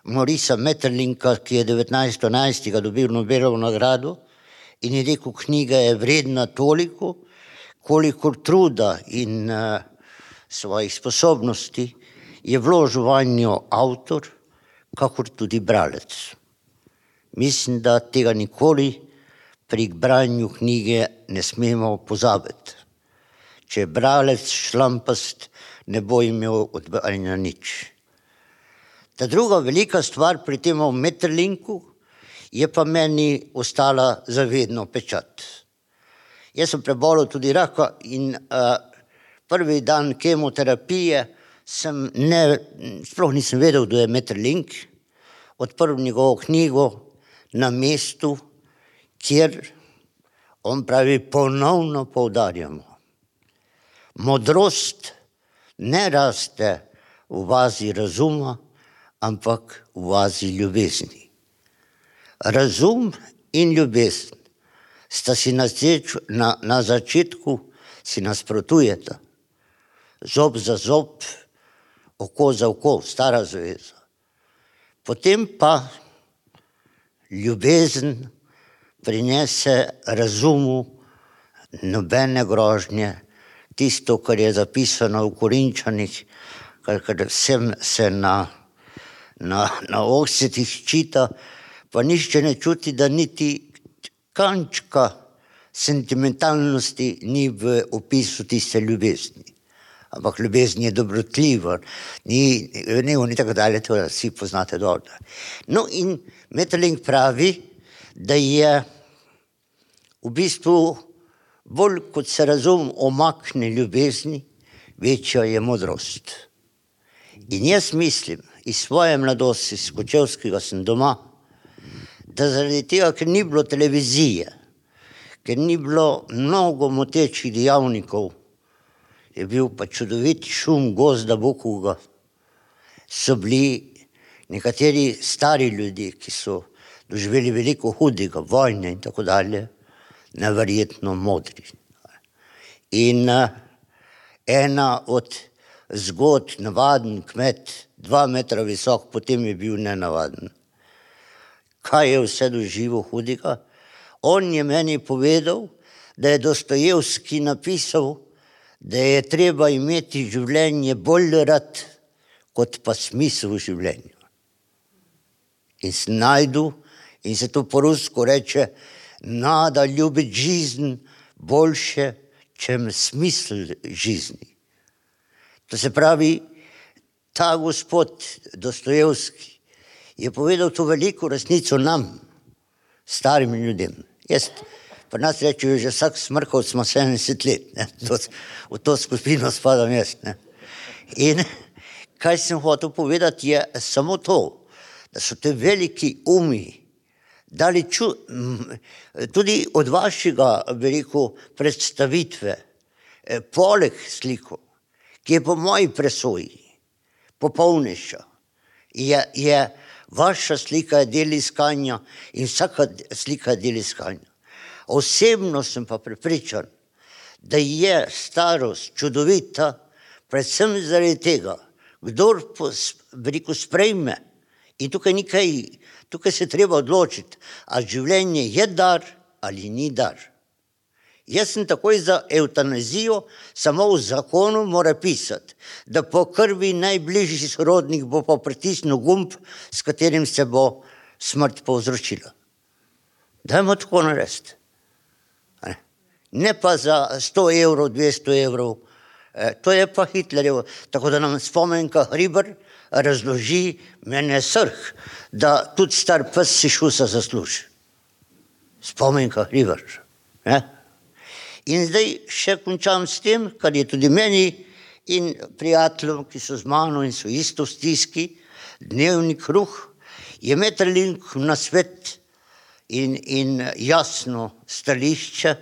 Maurica Maeterlinka, ki je devetnajststo enajstega dobil Nobelovo nagrado, in je rekel, knjiga je vredna toliko, kolikor truda in uh, svojih sposobnosti je vložil vanjo avtor, kakor tudi bralec. Mislim, da tega nikoli pri branju knjige ne smemo pozabiti. Če je bralec šlampast, ne bo imel odbajanja nič. Ta druga velika stvar pri tem Maeterlinku je pa meni ostala zavedno pečat. Jaz sem prebolel tudi raka in uh, prvi dan kemoterapije sem ne, sploh nisem vedel, kdo je Maeterlink, odprl njegovo knjigo Na mestu, kjer on pravi, ponovno poudarjamo. Modrost ne raste v vazi razuma, ampak v vazi ljubezni. Razum in ljubezen sta si na, na, na začetku si nasprotujeta. Zob za zob, oko za oko, stara zaveza. Potem pa ljubezen prinese razumu nobene grožnje, tisto, kar je zapisano v Korinčanih, kar, kar vsem se na, na, na ohcetih čita, pa nišče ne čuti, da niti kančka sentimentalnosti ni v opisu tiste ljubezni. ampak ljubezen je dobrotljiva, ni, ni, ni tako dalje, to vsi poznate dobro. No in Maeterlinck pravi, da je v bistvu bolj kot se razum omakne ljubezni, večja je modrost. In jaz mislim, iz svoje mladosti, iz Kočevskega sem doma, da zaradi tega, ker ni bilo televizije, ker ni bilo mnogo motečih dejavnikov, je bil pa čudovit šum gozda bukovega, so bili nekateri stari ljudje, ki so doživeli veliko hudega, vojne in tako dalje, neverjetno modri. In uh, ena od zgodb, navaden kmet, dva metra visok, potem je bil nenavaden. Kaj je vse doživel hudega? On je meni povedal, da je Dostojevski napisal, da je treba imeti življenje bolj rad, kot pa smisel v življenju. In se najdu, in se to po rusko reče, nada ljubit žizen boljše, čem smisel žizni. To se pravi, ta gospod Dostojevski je povedal to veliko resnico nam, starim ljudem. Jaz, pa nas rečejo, že vsak smrkov smo sedemdeset let, ne? To, v to skupino spadam jaz. Ne? In kaj sem hotel povedati je samo to, da so te veliki umi dali ču, tudi od vašega, veliko predstavitve, poleg sliko, ki je po moji presoji popolnejša, je, je vaša slika je del iskanja in vsaka slika je del iskanja. Osebno sem pa prepričan, da je starost čudovita, predvsem zaradi tega, kdor veliko sprejme, in tukaj nekaj, tukaj se treba odločiti, a življenje je dar ali ni dar. Jaz sem takoj za evtanazijo, samo v zakonu mora pisati, da po krvi najbližji sorodnik bo pa pritisnil gumb, s katerim se bo smrt povzročila. Dajmo tako narediti. Ne pa za sto evrov, dvesto evrov, to je pa Hitlerjevo. Tako da nam spomenka Hribar razloži, mene srh, da tudi star pes si šusa zasluži. Spomenka Hribar. Ne? In zdaj še končam s tem, kar je tudi meni in prijateljem, ki so z mano in so isto v stiski, dnevni kruh, je Maeterlinck na svet in, in jasno stališče,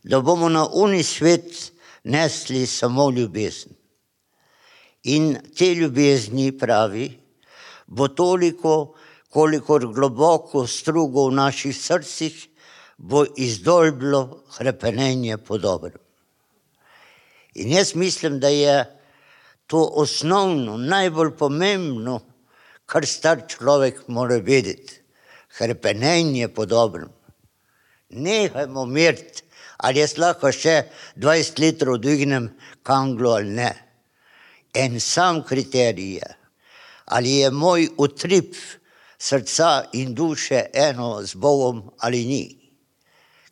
da bomo na uni svet nesli samo ljubezen. In te ljubezni, pravi, bo toliko, kolikor globoko strugo v naših srcih bo izdolblo hrepenenje po dobrem. In jaz mislim, da je to osnovno, najbolj pomembno, kar star človek mora vedeti. Hrepenenje po dobrem. Nehajmo meriti, ali jaz lahko še dvajset litrov dvignem kanglo ali ne. En sam kriterij je, ali je moj utrip srca in duše eno z Bogom ali ni.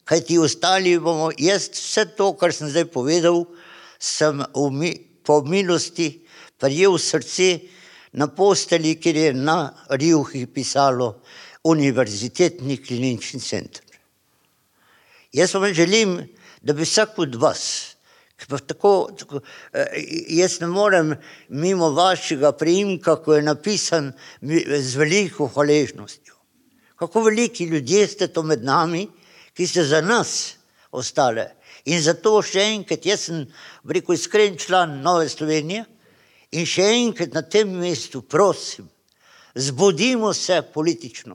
Kaj ti ostali bomo, jaz vse to, kar sem zdaj povedal, sem mi, po milosti prijel srce na posteli, kjer je na rjuhi pisalo Univerzitetni klinični center. Jaz vam želim, da bi vsak od vas, tako, tako, jaz ne morem mimo vašega priimka, ko je napisan z veliko hvaležnostjo. Kako veliki ljudje ste to med nami, ki ste za nas ostale. In zato še enkrat, jaz sem rekel iskren član Nove Slovenije in še enkrat na tem mestu prosim, zbudimo se politično.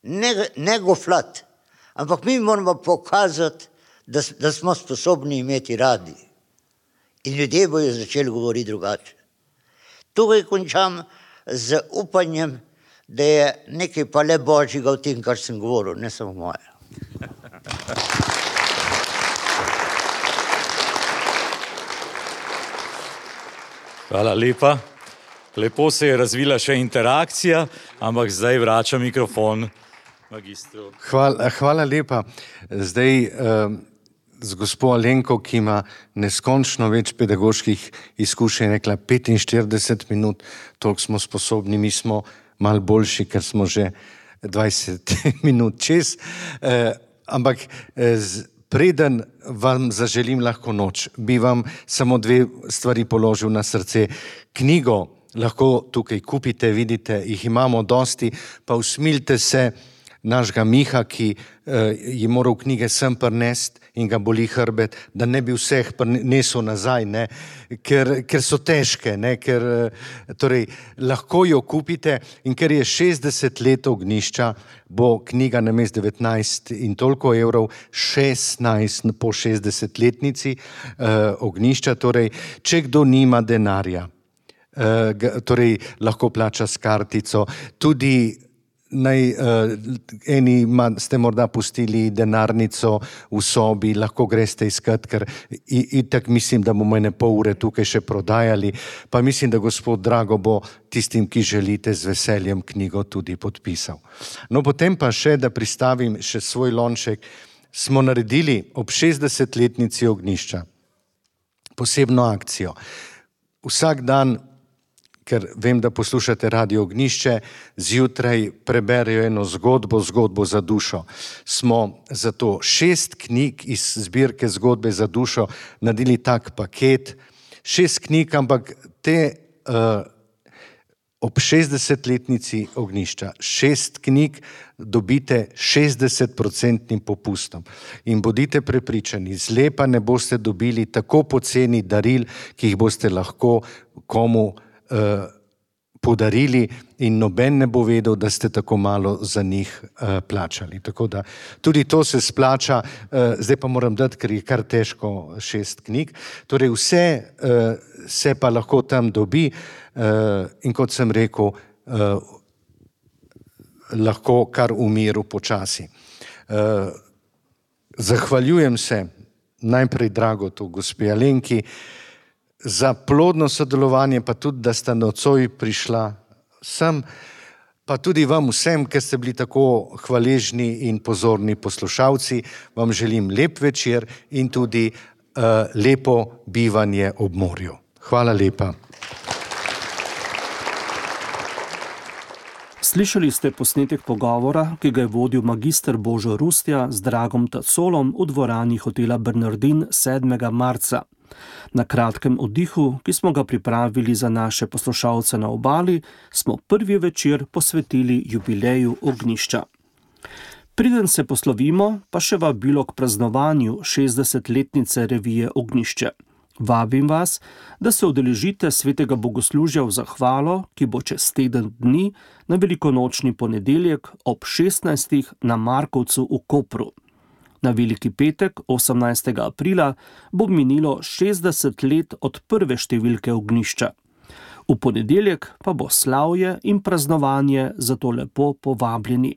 Ne, ne goflat, ampak mi moramo pokazati, da, da smo sposobni imeti radi. In ljudje bojo začeli govoriti drugače. Tukaj končam z upanjem, da je nekaj pa le božjega v tem, kar sem govoril, ne samo moje. Hvala lepa. Lepo se je razvila še interakcija, ampak zdaj vračam mikrofon magistru. Hvala, hvala lepa. Zdaj, z gospo Alenko, ki ima neskončno več pedagoških izkušenj, rekla petinštirideset minut, toliko smo sposobni, mi smo malo boljši, ker smo že dvajset minut čez. Eh, ampak eh, z, preden vam zaželim lahko noč, bi vam samo dve stvari položil na srce. Knjigo lahko tukaj kupite, vidite, jih imamo dosti, pa usmilite se našega Miha, ki eh, je moral knjige sem prinesti in ga boli hrbet, da ne bi vseh prinesel nazaj, ne, ker, ker so težke, ne, ker torej, lahko jo kupite in ker je šestdeset let ognjišča, bo knjiga namesto devetnajst in toliko evrov, šestnajst po šestdesetletnici eh, ognjišča, torej, če kdo nima denarja, eh, torej, lahko plača s kartico, tudi Naj, uh, eni ma, ste morda pustili denarnico v sobi, lahko greste iskat, ker itak mislim, da bomo ene pol ure tukaj še prodajali, pa mislim, da gospod Drago bo tistim, ki želite, z veseljem knjigo tudi podpisal. No, potem pa še, da pristavim še svoj lonček, smo naredili ob šestdesetletnici ognjišča posebno akcijo. Vsak dan, ker vem, da poslušate Radio Ognjišče, zjutraj preberejo eno zgodbo, zgodbo za dušo. Smo zato šest knjig iz zbirke Zgodbe za dušo naredili tak paket, šest knjig, ampak te uh, ob šestdesetletnici ognjišča, šest knjig dobite šestdesetprocentnim popustom. In bodite prepričani, zlepa ne boste dobili tako poceni daril, ki jih boste lahko komu Uh, podarili in noben ne bo vedel, da ste tako malo za njih uh, plačali. Tako da tudi to se splača, uh, zdaj pa moram dati, ker je kar težko šest knjig. Torej vse uh, se pa lahko tam dobi uh, in kot sem rekel, uh, lahko kar v miru počasi. Uh, zahvaljujem se najprej Dragotu, gospe Alenki, za plodno sodelovanje, pa tudi, da sta nocoj prišla sem, pa tudi vam vsem, ker ste bili tako hvaležni in pozorni poslušalci, vam želim lep večer in tudi uh, lepo bivanje ob morju. Hvala lepa. Slišali ste posnetek pogovora, ki ga je vodil magister Božo Rustja z Dragom Tacolom v dvorani hotela Bernardin sedmega marca. Na kratkem oddihu, ki smo ga pripravili za naše poslušalce na obali, smo prvi večer posvetili jubileju ognjišča. Preden se poslovimo, pa še vabilo k praznovanju šestdesetletnice revije Ognjišče. Vabim vas, da se udeležite svetega bogoslužja v zahvalo, ki bo čez teden dni na velikonočni ponedeljek ob šestnajstih na Markovcu v Kopru. Na veliki petek, osemnajstega aprila, bo minilo šestdeset let od prve številke ognjišča. V ponedeljek pa bo slavje in praznovanje, zato lepo povabljeni.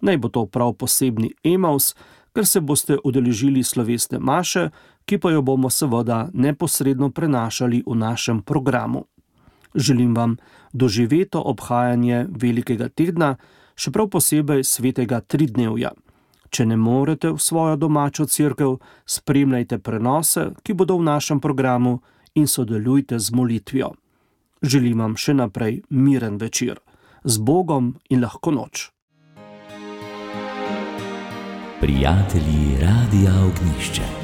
Naj bo to prav posebni Emaus, ker se boste udeležili slovesne maše, ki pa jo bomo seveda neposredno prenašali v našem programu. Želim vam doživeto obhajanje velikega tedna, še prav posebej svetega tridnevja. Če ne morete v svojo domačo cerkev, spremljajte prenose, ki bodo v našem programu in sodelujte z molitvijo. Želim vam še naprej miren večer. Z Bogom in lahko noč. Prijatelji Radia Ognjišče.